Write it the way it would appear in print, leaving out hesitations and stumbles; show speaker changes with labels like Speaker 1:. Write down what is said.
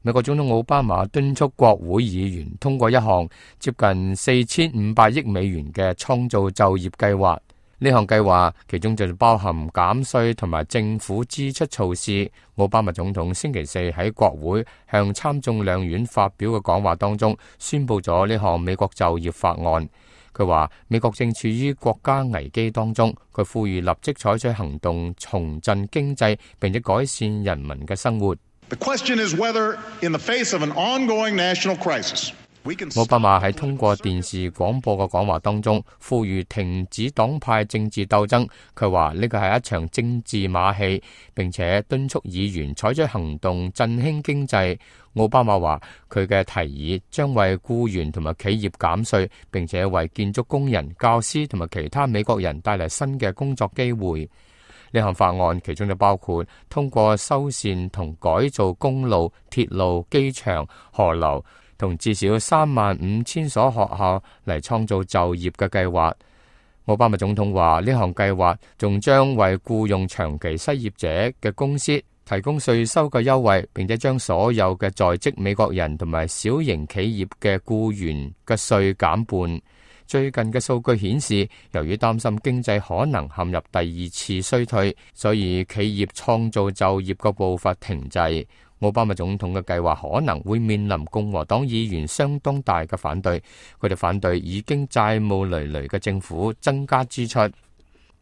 Speaker 1: 美國總統奧巴馬敦促國會議員通過一項接近4500億美元嘅創造就業計劃。呢項計劃其中就包含減稅同埋政府支出措施。奧巴馬總統星期四喺國會向參眾兩院發表嘅講話當中，宣布咗呢項美國就業法案。佢話美國正處於國家危機當中，佢呼籲立即採取行動重振經濟，並且改善人民嘅生活。
Speaker 2: The question is whether, in the face of an ongoing national crisis,
Speaker 1: 奧巴馬喺通過電視廣播嘅講話當中，呼籲停止黨派政治鬥爭。佢話呢個係一場政治馬戲，並且敦促議員採取行動振興經濟。奧巴馬話佢嘅提議將為僱員同埋企業減稅，並且為建築工人、教師同埋其他美國人帶嚟新嘅工作機會。呢項法案其中就包括通過修繕同改造公路、鐵路、機場、河流同至少35000所學校嚟創造就業嘅計劃。奧巴馬總統話呢項計劃仲將為僱用長期失業者嘅公司提供稅收嘅優惠，並且將所有嘅在職美國人同埋小型企業嘅僱員嘅稅減半。最近嘅數據顯示，由於擔心經濟可能陷入第二次衰退，所以企業創造就業嘅步伐停滯。奧巴馬總統嘅計劃可能會面臨共和黨議員相當大嘅反對，佢哋反對已經債務累累嘅政府增加支出。